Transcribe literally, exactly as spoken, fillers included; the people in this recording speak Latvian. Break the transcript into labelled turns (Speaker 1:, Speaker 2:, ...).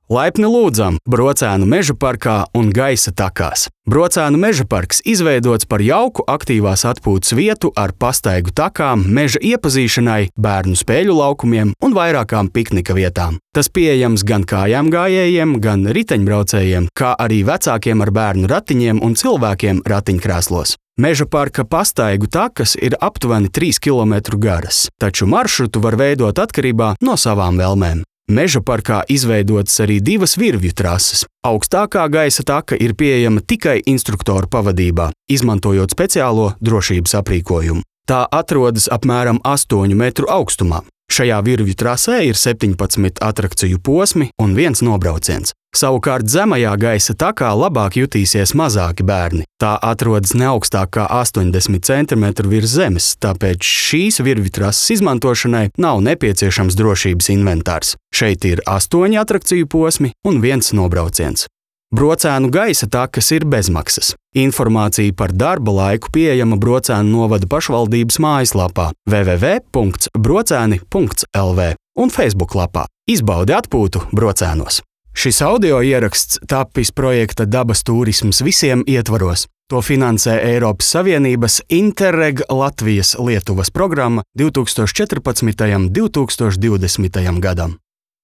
Speaker 1: Laipni lūdzam Brocēnu meža parkā un gaisa takās. Brocēnu meža parks izveidots par jauku aktīvās atpūtas vietu ar pastaigu takām, meža iepazīšanai, bērnu spēļu laukumiem un vairākām piknika vietām. Tas pieejams gan kājām gājējiem, gan riteņbraucējiem, kā arī vecākiem ar bērnu ratiņiem un cilvēkiem ratiņkrēslos. Meža parka pastaigu takas ir aptuveni trīs kilometru garas, taču maršrutu var veidot atkarībā no savām vēlmēm. Meža parkā izveidotas arī divas virvju trases. Augstākā gaisa taka ir pieejama tikai instruktoru pavadībā, izmantojot speciālo drošības aprīkojumu. Tā atrodas apmēram astoņu metru augstumā. Šajā virvju trasē ir septiņpadsmit atrakciju posmi un viens nobrauciens. Savukārt zemajā gaisa takā labāk jutīsies mazāki bērni. Tā atrodas ne augstāk kā astoņdesmit centimetru virs zemes, tāpēc šīs virvju trases izmantošanai nav nepieciešams drošības inventārs. Šeit ir astoņi atrakciju posmi un viens nobrauciens. Brocēnu gaisa takas ir bezmaksas. Informācija par darba laiku pieejama Brocēnu novada pašvaldības mājaslapā w w w punkts brocēni punkts l v un Facebook lapā. Izbaudi atpūtu Brocēnos! Šis audio ieraksts tapis projekta Dabas turisms visiem ietvaros. To finansē Eiropas Savienības Interreg Latvijas Lietuvas programma divtūkstoš četrpadsmitajam līdz divtūkstoš divdesmitajam gadam.